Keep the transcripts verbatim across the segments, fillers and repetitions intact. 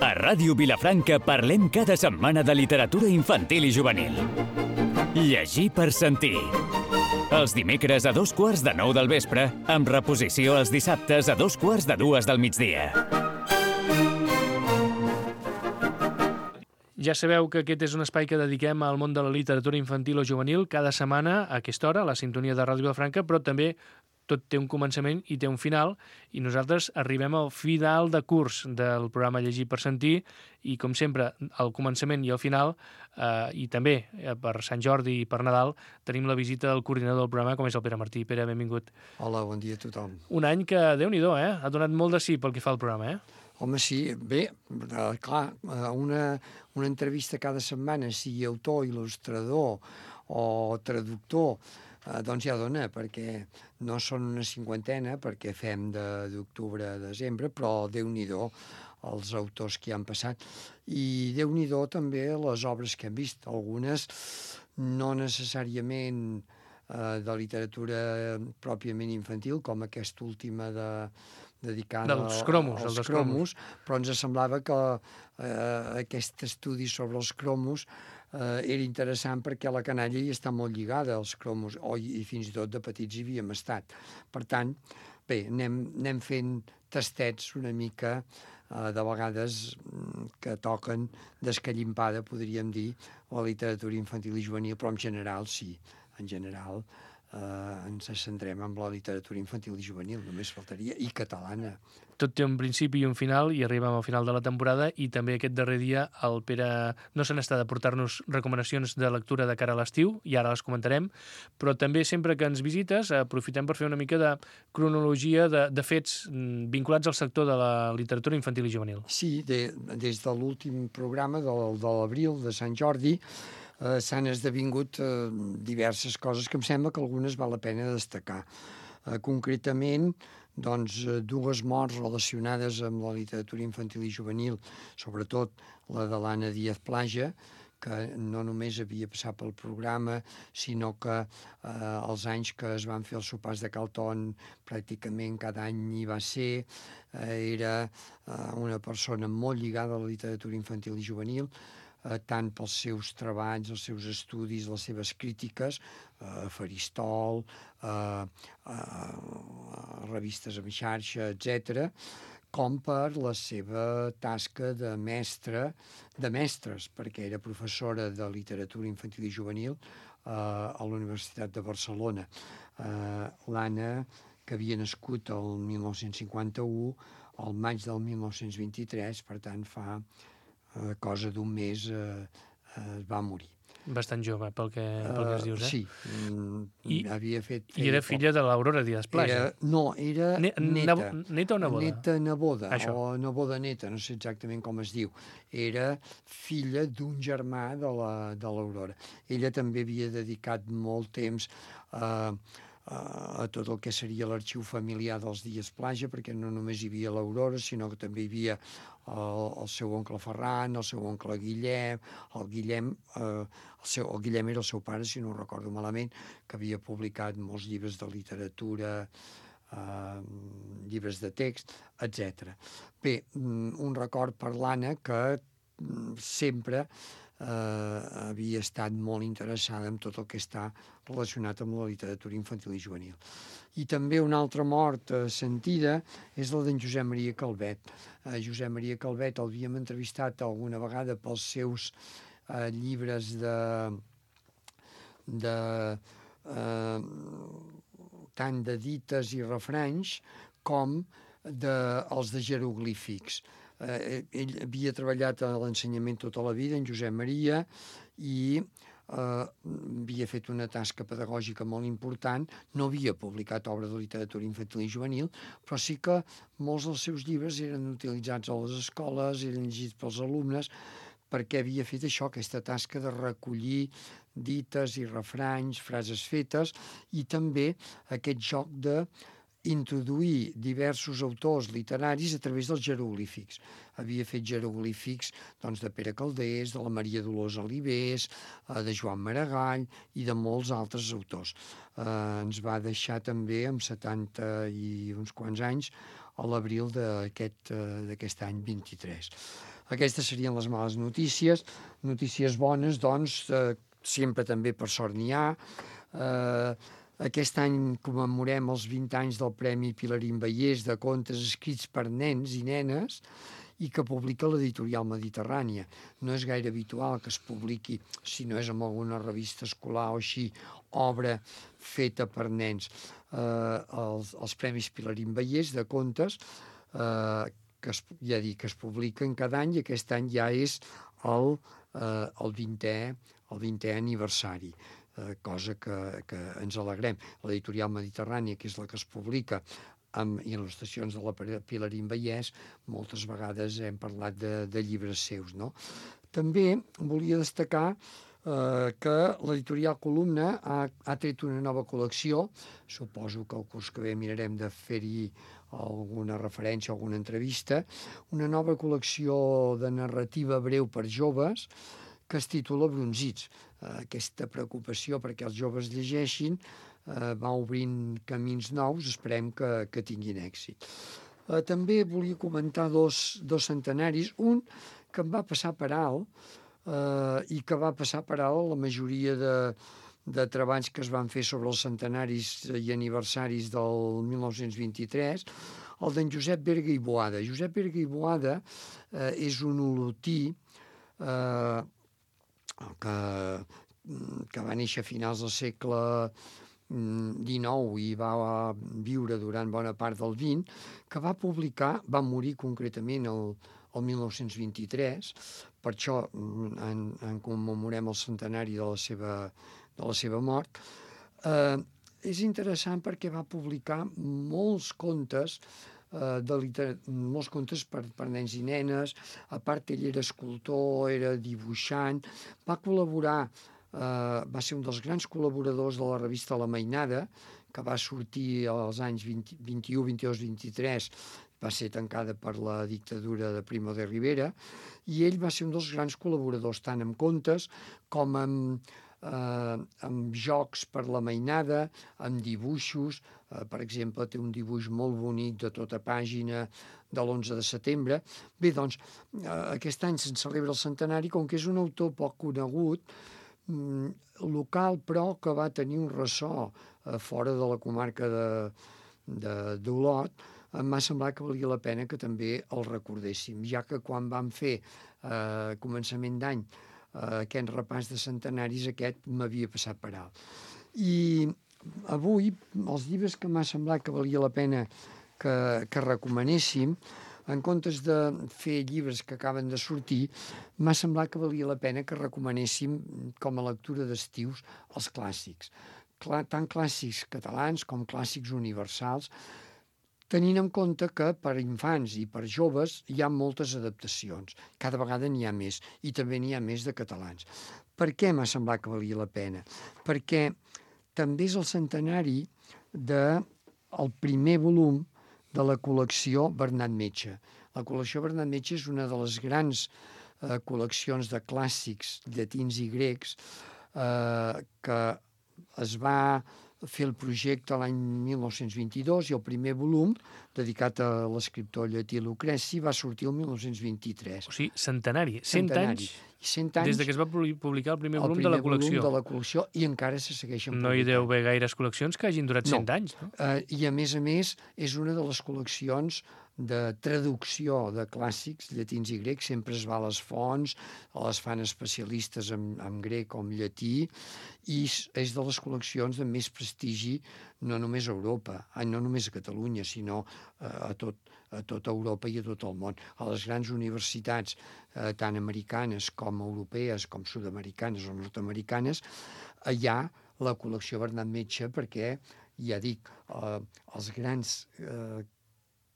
A Ràdio Vilafranca parlem cada setmana de literatura infantil i juvenil. Llegir per sentir. Els dimecres a dos quarts de nou del vespre, amb reposició els dissabtes a dos quarts de dues del migdia. Ja sabeu que aquest és un espai que dediquem al món de la literatura infantil o juvenil cada setmana a aquesta hora, a la sintonia de Ràdio Vilafranca, però també tot té un començament i té un final, i nosaltres arribem al final de curs del programa Llegir per sentir, i com sempre, al començament i al final, eh, i també eh, per Sant Jordi i per Nadal, tenim la visita del coordinador del programa, com és el Pere Martí. Pere, benvingut. Hola, bon dia a tothom. Un any que, Déu-n'hi-do, eh? Ha donat molt de sí pel que fa al programa, eh? Home, sí, bé, eh, clar, una, una entrevista cada setmana, sigui autor, il·lustrador o traductor, eh, doncs ja dona, perquè no són una cinquantena, perquè fem d'octubre a desembre, però Déu-n'hi-do els autors que hi han passat. I Déu-n'hi-do també les obres que hem vist, algunes no necessàriament eh, de literatura pròpiament infantil, com aquesta última de... dedicada dels cromos, als dels cromos, però ens semblava que eh, aquest estudi sobre els cromos eh, era interessant perquè la canalla hi està molt lligada als cromos, o, i fins i tot de petits hi havíem estat. Per tant, bé, anem, anem fent tastets una mica, eh, de vegades que toquen d'escallimpada, podríem dir, la literatura infantil i juvenil, però en general sí, en general Uh, ens centrem en la literatura infantil i juvenil, només faltaria, i catalana. Tot té un principi i un final, i arribem al final de la temporada, i també aquest darrer dia el Pere no se n'està de portar-nos recomanacions de lectura de cara a l'estiu, i ara les comentarem, però també sempre que ens visites aprofitem per fer una mica de cronologia de, de fets vinculats al sector de la literatura infantil i juvenil. Sí, de, des de l'últim programa del, de l'abril, de Sant Jordi, Eh, s'han esdevingut eh, diverses coses que em sembla que algunes val la pena destacar. Eh, concretament, doncs, eh, dues morts relacionades amb la literatura infantil i juvenil, sobretot la de l'Anna Díaz Plaja, que no només havia passat pel programa, sinó que eh, els anys que es van fer els sopars de Calton pràcticament cada any hi va ser, eh, era eh, una persona molt lligada a la literatura infantil i juvenil, eh, tant pels seus treballs, els seus estudis, les seves crítiques, eh, Faristol, eh, eh, revistes en xarxa, etcètera, com per la seva tasca de mestra, de mestres, perquè era professora de literatura infantil i juvenil eh, a la Universitat de Barcelona. Eh, L'Anna, que havia nascut el mil nou-cents cinquanta-u, al maig del mil nou-cents vint-i-tres, per tant fa eh, cosa d'un mes eh, eh, va morir. Bastant jove, pel que, pel que ens dius, eh? Uh, sí, mm, I, havia fet... I era filla de l'Aurora Díaz Plaja. Era, no, era ne neta. Neta o neboda? Neta neboda, Això. o neboda neta, no sé exactament com es diu. Era filla d'un germà de l'Aurora. Ella també havia dedicat molt temps a... Uh, a tot el que seria l'arxiu familiar dels Díaz Plaja, perquè no només hi havia l'Aurora, sinó que també hi havia el, el seu oncle Ferran, el seu oncle Guillem, el Guillem, eh, el, seu, el Guillem era el seu pare, si no ho recordo malament, que havia publicat molts llibres de literatura, eh, llibres de text, etcètera. Bé, un record per l'Anna que sempre eh, havia estat molt interessada en tot el que està relacionat amb la literatura infantil i juvenil. I també una altra mort eh, sentida és la d'en Josep Maria Calvet. Eh, Josep Maria Calvet l'havíem entrevistat alguna vegada pels seus eh, llibres de... de eh, tant de dites i refranys com de, els de jeroglífics. Eh, ell havia treballat a l'ensenyament tota la vida, en Josep Maria, i eh, havia fet una tasca pedagògica molt important. No havia publicat obra de literatura infantil i juvenil, però sí que molts dels seus llibres eren utilitzats a les escoles, eren llegits pels alumnes, perquè havia fet això, aquesta tasca de recollir dites i refranys, frases fetes, i també aquest joc de introduir diversos autors literaris a través dels jeroglífics. Havia fet jeroglífics doncs, de Pere Calders, de la Maria Dolors Alibés, de Joan Maragall i de molts altres autors. Eh, ens va deixar també, amb setanta i uns quants anys, a l'abril d'aquest d'aquest any vint-i-tres. Aquestes serien les males notícies. Notícies bones, doncs, eh, sempre també per sort n'hi ha. Eh, aquest any commemorem els vint anys del Premi Pilarín Vallès de contes escrits per nens i nenes i que publica l'editorial Mediterrània. No és gaire habitual que es publiqui, si no és en alguna revista escolar o així, obra feta per nens. Eh, els, els Premis Pilarín Vallès de contes, eh, que es, ja dic, que es publiquen cada any, i aquest any ja és el, eh, el vintè el vintè aniversari, eh, cosa que, que ens alegrem. L'editorial Mediterrània, que és la que es publica amb il·lustracions de la Pilarín Vallès, moltes vegades hem parlat de, de llibres seus, no? També volia destacar eh, que l'editorial Columna ha, ha tret una nova col·lecció. Suposo que el curs que ve mirarem de fer-hi alguna referència, alguna entrevista, una nova col·lecció de narrativa breu per joves que es titula Bronzits. Eh, aquesta preocupació perquè els joves llegeixin eh, va obrint camins nous, esperem que, que tinguin èxit. Eh, també volia comentar dos, dos centenaris, un que em va passar per alt eh, i que va passar per alt la majoria de, de treballs que es van fer sobre els centenaris i aniversaris del mil nou-cents vint-i-tres, el d'en Josep Berga i Boada. Josep Berga i Boada eh, és un olotí eh, que, que va néixer a finals del segle dinou i va viure durant bona part del vint, que va publicar, va morir concretament el, el mil nou-cents vint-i-tres, per això en, en commemorem el centenari de la seva, de la seva mort. Eh, és interessant perquè va publicar molts contes, eh, de liter... molts contes per, per nens i nenes. A part, ell era escultor, era dibuixant, va col·laborar, eh, va ser un dels grans col·laboradors de la revista La Mainada, que va sortir als anys vint, vint-i-u, vint-i-dos, vint-i-tres, va ser tancada per la dictadura de Primo de Rivera, i ell va ser un dels grans col·laboradors, tant amb contes com amb, eh, amb jocs per la mainada, amb dibuixos. Eh, per exemple, té un dibuix molt bonic de tota pàgina de l'onze de setembre. Bé, doncs, eh, aquest any se'n celebra el centenari, com que és un autor poc conegut, mm, local, però que va tenir un ressò eh, fora de la comarca de, de, d'Olot, em va semblar que valia la pena que també el recordéssim, ja que quan vam fer eh, a començament d'any eh, aquest repàs de centenaris, aquest m'havia passat per alt. I avui, els llibres que m'ha semblat que valia la pena que, que recomanéssim, en comptes de fer llibres que acaben de sortir, m'ha semblat que valia la pena que recomanéssim com a lectura d'estius els clàssics, tant clàssics catalans com clàssics universals, tenint en compte que per infants i per joves hi ha moltes adaptacions. Cada vegada n'hi ha més, i també n'hi ha més de catalans. Per què m'ha semblat que valia la pena? Perquè també és el centenari del primer volum de la col·lecció Bernat Metge. La col·lecció Bernat Metge és una de les grans eh, col·leccions de clàssics llatins i grecs eh, que es va fer el projecte l'any mil nou-cents vint-i-dos i el primer volum, dedicat a l'escriptor llatí Lucreci, va sortir el mil nou-cents vint-i-tres. O sigui, centenari, cent Centenari. anys, cent anys des de que es va publicar el primer el volum primer de la col·lecció. volum de la col·lecció, i encara se segueixen No hi publicant. deu haver gaires col·leccions que hagin durat cent No. anys, no? Eh, I a més a més és una de les col·leccions de traducció de clàssics llatins i grecs. Sempre es va a les fonts, les fan especialistes en, en grec o en llatí, i és de les col·leccions de més prestigi, no només a Europa, no només a Catalunya, sinó a, tot, a tota Europa i a tot el món. A les grans universitats, eh, tant americanes com europees, com sud-americanes o nord-americanes, hi ha la col·lecció Bernat Metge, perquè, ja dic, eh, els grans eh,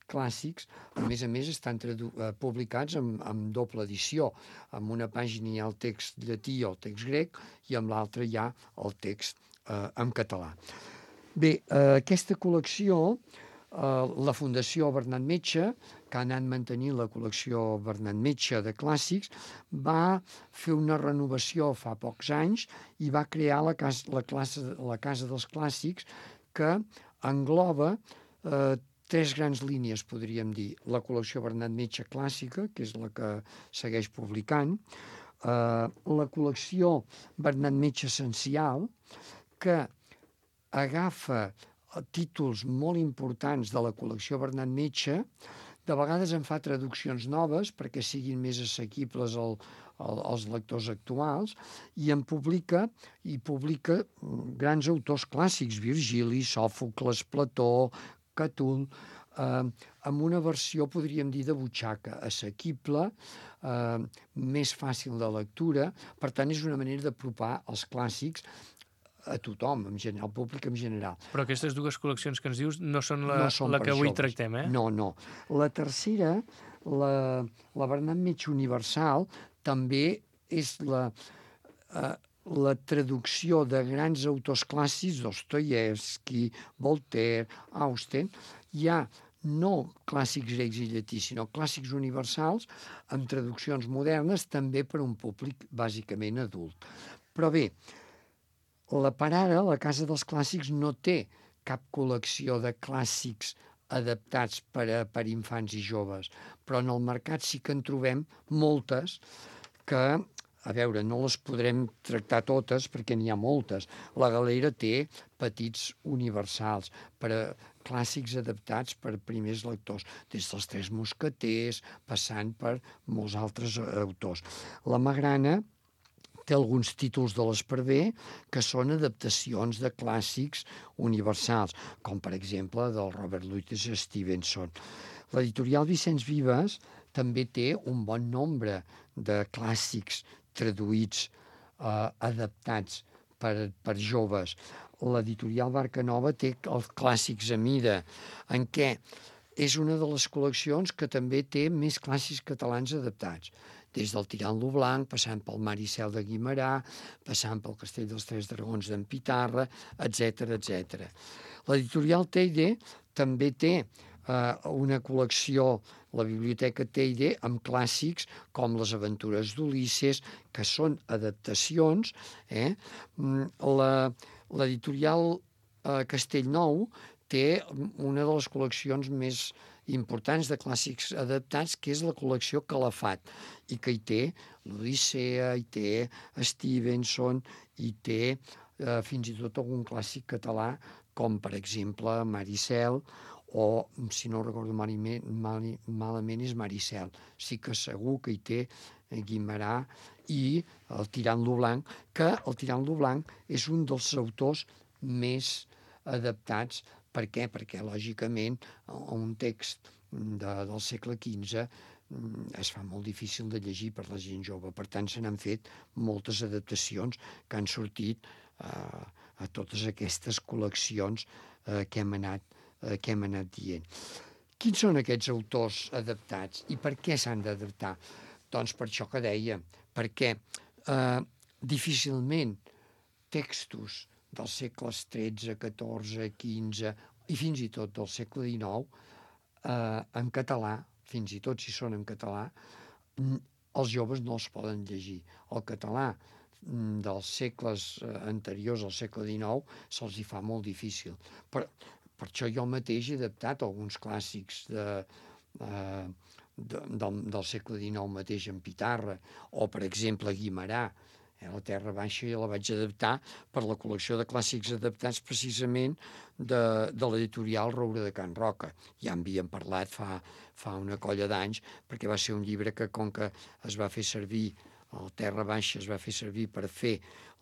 clàssics, a més a més, estan eh, publicats amb, amb doble edició. En una pàgina hi ha el text llatí o el text grec, i amb l'altra hi ha el text eh, en català. Bé, eh, aquesta col·lecció, eh, la Fundació Bernat Metge, que ha anat mantenint la col·lecció Bernat Metge de clàssics, va fer una renovació fa pocs anys i va crear la casa, la classe, la casa dels Clàssics, que engloba eh, tres grans línies, podríem dir. La col·lecció Bernat Metge clàssica, que és la que segueix publicant, eh, la col·lecció Bernat Metge essencial, que agafa títols molt importants de la col·lecció Bernat Metge, de vegades en fa traduccions noves perquè siguin més assequibles al, al, als lectors actuals, i en publica i publica grans autors clàssics, Virgili, Sòfocles, Plató, Catull, eh, amb una versió, podríem dir, de butxaca, assequible, eh, més fàcil de lectura. Per tant, és una manera d'apropar els clàssics a tothom, en general, al públic en general. Però aquestes dues col·leccions que ens dius no són la, no són la que avui joves. tractem, eh? No, no. La tercera, la, la Bernat Metge Universal, també és la, eh, la traducció de grans autors clàssics, Dostoievski, Voltaire, Austen. Hi ha no clàssics grecs i llatins, sinó clàssics universals amb traduccions modernes, també per a un públic bàsicament adult. Però bé, la per ara, la Casa dels Clàssics, no té cap col·lecció de clàssics adaptats per a per infants i joves, però en el mercat sí que en trobem moltes que, a veure, no les podrem tractar totes perquè n'hi ha moltes. La Galera té petits universals per a clàssics adaptats per primers lectors, des dels Tres Mosqueters, passant per molts altres autors. La Magrana té alguns títols de l'Esparver que són adaptacions de clàssics universals, com per exemple del Robert Louis Stevenson. L'editorial Vicenç Vives també té un bon nombre de clàssics traduïts, eh, adaptats per, per joves. L'editorial Barca Nova té els clàssics a mida, en què és una de les col·leccions que també té més clàssics catalans adaptats, des del Tirant lo Blanc, passant pel Mar i Cel de Guimerà, passant pel Castell dels Tres Dragons d'en Pitarra, etcètera, etcètera. L'editorial Teide també té eh, una col·lecció, la Biblioteca Teide, amb clàssics com Les aventures d'Ulisses, que són adaptacions. Eh? La, l'editorial eh, Castellnou té una de les col·leccions més importants de clàssics adaptats, que és la col·lecció Calafat, i que hi té l'Odissea, hi té Stevenson, hi té eh, fins i tot algun clàssic català, com per exemple Maricel, o, si no recordo malament, mal, malament és Maricel. Sí que segur que hi té Guimerà i el Tirant lo Blanc, que el Tirant lo Blanc és un dels autors més adaptats. Per què? Perquè, lògicament, un text de, del segle quinze es fa molt difícil de llegir per la gent jove. Per tant, se n'han fet moltes adaptacions que han sortit eh, a totes aquestes col·leccions eh, que, hem anat, eh, que hem anat dient. Quins són aquests autors adaptats i per què s'han d'adaptar? Doncs per això que deia, perquè eh, difícilment textos dels segles tretze, catorze, quinze i fins i tot del segle dinou, eh, en català, fins i tot si són en català, els joves no els poden llegir. El català dels segles anteriors al segle dinou se'ls hi fa molt difícil. Per, per això jo mateix he adaptat alguns clàssics de, eh, de, del, del segle dinou mateix en Pitarra, o per exemple Guimerà. La Terra Baixa ja la vaig adaptar per la col·lecció de clàssics adaptats precisament de, de l'editorial Roure de Can Roca. Ja en havíem parlat fa, fa una colla d'anys, perquè va ser un llibre que, com que es va fer servir, el Terra Baixa es va fer servir per fer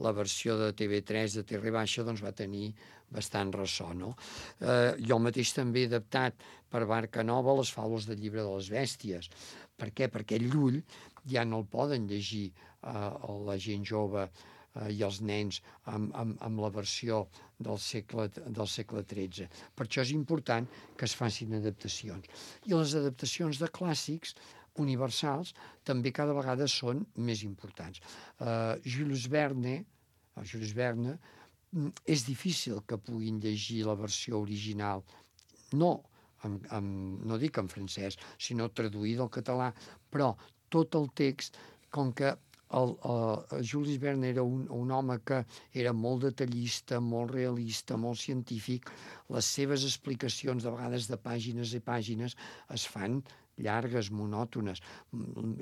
la versió de T V tres de Terra Baixa, doncs va tenir bastant ressò, no? Eh, jo mateix també he adaptat per Barca Nova les faules del Llibre de les Bèsties. Per què? Perquè el Llull ja no el poden llegir eh, la gent jove eh, i els nens amb, amb, amb la versió del segle, del segle tretze. Per això és important que es facin adaptacions. I les adaptacions de clàssics universals també cada vegada són més importants. Uh, Jules Verne, Jules Verne, és difícil que puguin llegir la versió original, no, en, en, no dic en francès, sinó traduïda al català, però tot el text, com que el, el Jules Verne era un, un home que era molt detallista, molt realista, molt científic. Les seves explicacions, de vegades de pàgines i pàgines, es fan llargues, monòtones.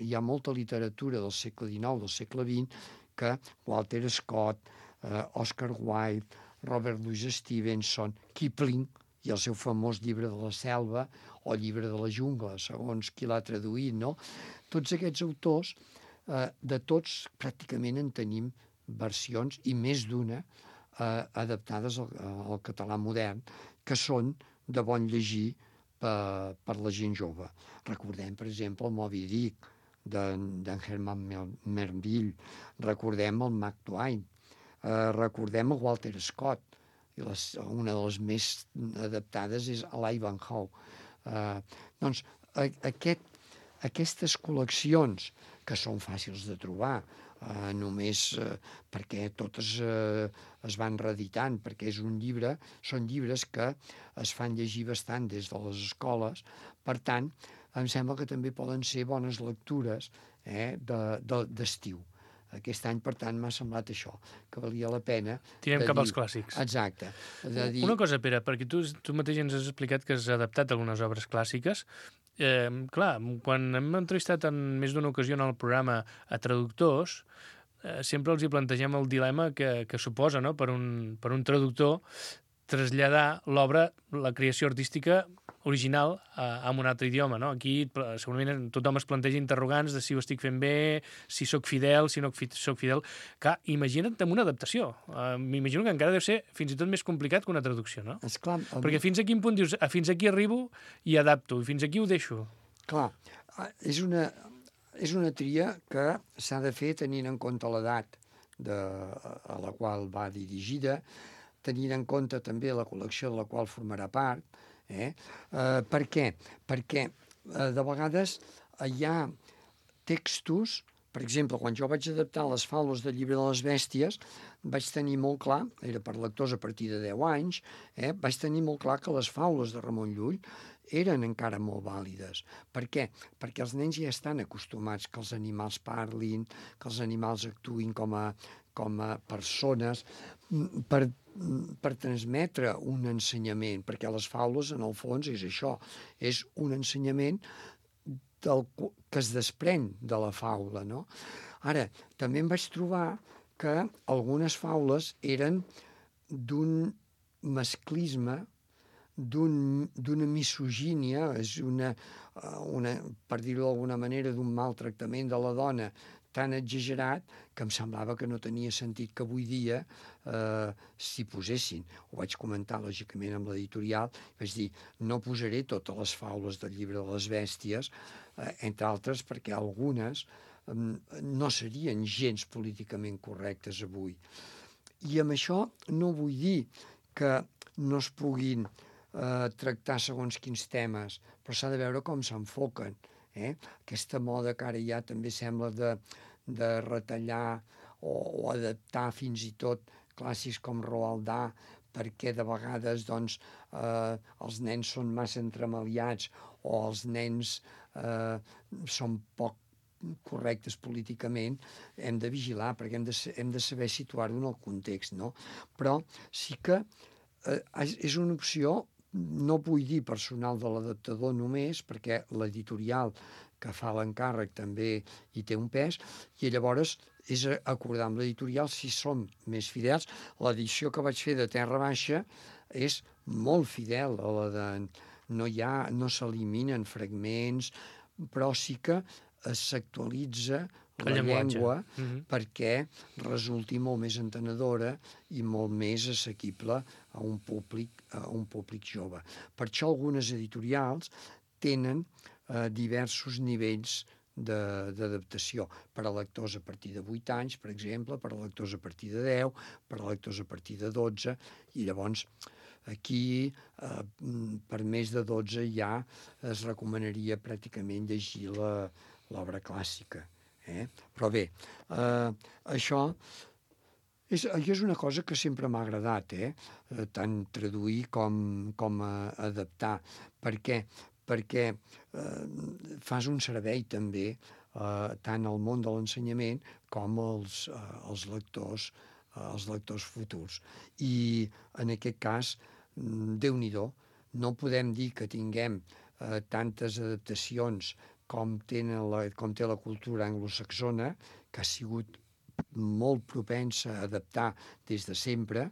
Hi ha molta literatura del segle dinou, del segle vint, que Walter Scott, eh, Oscar Wilde, Robert Louis Stevenson, Kipling, i el seu famós llibre de la selva o llibre de la jungla, segons qui l'ha traduït, no? Tots aquests autors, eh, de tots pràcticament en tenim versions, i més d'una, eh, adaptades al, al català modern, que són de bon llegir per, per la gent jove. Recordem, per exemple, el Moby Dick, d'en Herman Melville, recordem el Mark Twain, eh, recordem el Walter Scott, i les, una de les més adaptades és l'Ivanhoe. Eh, doncs a, aquest, aquestes col·leccions, que són fàcils de trobar, eh, només eh, perquè totes eh, es van reeditant, perquè és un llibre, són llibres que es fan llegir bastant des de les escoles, per tant, em sembla que també poden ser bones lectures eh, d'estiu. De, Aquest any, per tant, m'ha semblat això, que valia la pena... Tirem cap dir, als clàssics. Exacte. De dir... Una cosa, Pere, perquè tu, tu mateix ens has explicat que has adaptat algunes obres clàssiques. Eh, clar, quan hem entrevistat en més d'una ocasió en el programa a traductors, eh, sempre els hi plantegem el dilema que, que suposa, no?, per un, per un traductor traslladar l'obra, la creació artística original a, a un altre idioma, no? Aquí segurament tothom es planteja interrogants de si ho estic fent bé, si sóc fidel, si no sóc fidel. Clar, imagina't amb una adaptació. Uh, M'imagino que encara deu ser fins i tot més complicat que una traducció, no? Esclar, el... Perquè fins a quin punt dius, ah, fins aquí arribo i adapto, i fins aquí ho deixo. Clar, és una, és una tria que s'ha de fer tenint en compte l'edat a la qual va dirigida, tenint en compte també la col·lecció de la qual formarà part. Eh? Eh, per què? Perquè eh, de vegades eh, hi ha textos, per exemple, quan jo vaig adaptar les faules del Llibre de les Bèsties, vaig tenir molt clar, era per lectors a partir de deu anys, eh, vaig tenir molt clar que les faules de Ramon Llull eren encara molt vàlides. Per què? Perquè els nens ja estan acostumats que els animals parlin, que els animals actuïn com a, com a persones, per, per transmetre un ensenyament, perquè les faules, en el fons, és això, és un ensenyament del, que es desprèn de la faula, no? Ara, també em vaig trobar que algunes faules eren d'un masclisme, d'una misogínia, és una, una, per dir-ho d'alguna manera, d'un maltractament de la dona tan exagerat que em semblava que no tenia sentit que avui dia eh, s'hi posessin. Ho vaig comentar, lògicament, amb l'editorial. Vaig dir, no posaré totes les faules del Llibre de les Bèsties, eh, entre altres perquè algunes eh, no serien gens políticament correctes avui. I amb això no vull dir que no es puguin eh, tractar segons quins temes, però s'ha de veure com s'enfoquen. Eh? Aquesta moda que ara ja també sembla de, de retallar o, o adaptar fins i tot clàssics com Roald Dahl, perquè de vegades doncs, eh, els nens són massa entremaliats o els nens eh, són poc correctes políticament, hem de vigilar, perquè hem de, hem de saber situar-ho en el context, no? Però sí que eh, és una opció, no vull dir personal de l'adaptador només, perquè l'editorial que fa l'encàrrec també hi té un pes, i llavors és acordar amb l'editorial si som més fidels. L'edició que vaig fer de Terra Baixa és molt fidel a la de... No hi ha, no s'eliminen fragments, però sí que s'actualitza la llengua mm-hmm. perquè resulti molt més entenedora i molt més assequible a un públic, a un públic jove. Per això algunes editorials tenen eh, diversos nivells d'adaptació per a lectors a partir de vuit anys, per exemple, per a lectors a partir de deu, per a lectors a partir de dotze, i llavors aquí eh, per més de dotze ja es recomanaria pràcticament llegir l'obra clàssica. Eh? Però bé, eh, això és, és una cosa que sempre m'ha agradat, eh? tant traduir com, com adaptar. Per què? Perquè eh, fas un servei també eh, tant al món de l'ensenyament com als, eh, als lectors eh, els lectors futurs. I en aquest cas, Déu-n'hi-do, no podem dir que tinguem eh, tantes adaptacions com, tenen la, com té la cultura anglosaxona, que ha sigut molt propensa a adaptar des de sempre,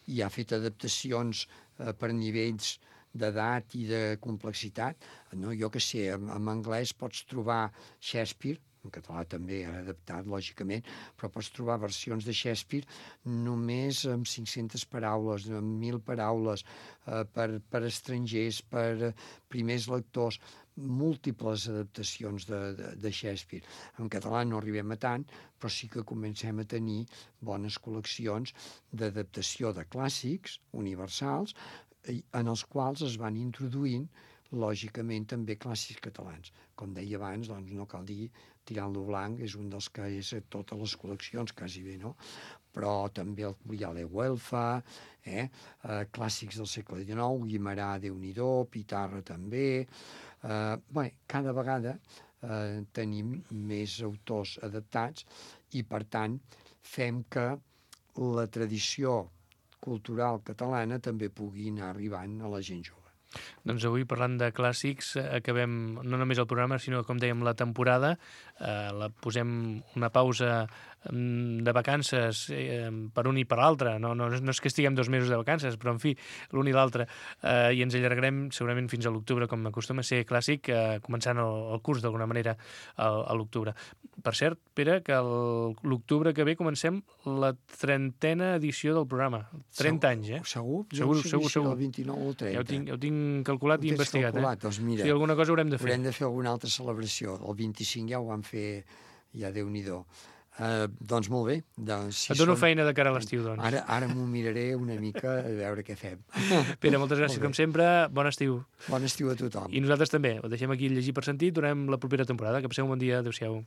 i ha fet adaptacions eh, per nivells d'edat i de complexitat. No, jo que sé, en, en anglès pots trobar Shakespeare, en català també ha adaptat, lògicament, però pots trobar versions de Shakespeare només amb cinc-centes paraules, amb mil paraules, eh, per, per estrangers, per primers lectors, múltiples adaptacions de, de, de Shakespeare. En català no arribem a tant, però sí que comencem a tenir bones col·leccions d'adaptació de clàssics universals, en els quals es van introduint, lògicament, també clàssics catalans. Com deia abans, doncs no cal dir Tirant lo Blanc és un dels que és a totes les col·leccions, quasi bé, no? Però també el Curiale Güelfa, eh? eh, clàssics del segle dinou, Guimerà, Déu-n'hi-do, Pitarra també. Eh, bé, cada vegada eh, tenim més autors adaptats i, per tant, fem que la tradició cultural catalana també pugui anar arribant a la gent jove. Doncs avui, parlant de clàssics, acabem no només el programa, sinó, com dèiem, la temporada. Eh, la posem una pausa de vacances eh, per un i per l'altre. No, no, no és que estiguem dos mesos de vacances, però, en fi, l'un i l'altre. Eh, I ens allargarem segurament fins a l'octubre, com acostuma a ser clàssic, eh, començant el, el curs, d'alguna manera, al, a l'octubre. Per cert, Pere, que l'octubre que ve comencem la trentena edició del programa. trenta anys, eh? Segur? Segur, no sé segur, si segur. El vint-i-nou o el trenta. Ja ho tinc, ja ho tinc calculat i investigat, calculat, eh? Doncs mira, si alguna cosa haurem de fer. Haurem de fer alguna altra celebració. El vint-i-cinc ja ho vam fer, ja Déu-n'hi-do. Uh, doncs molt bé. Doncs, si Et dono són... feina de cara a l'estiu, doncs. Ara, ara m'ho miraré una mica a veure què fem. Pere, moltes gràcies com sempre. Bon estiu. Bon estiu a tothom. I nosaltres també. Ho deixem aquí Llegir per Sentir. Tornem la propera temporada. Que passeu un bon dia. Adéu-siau.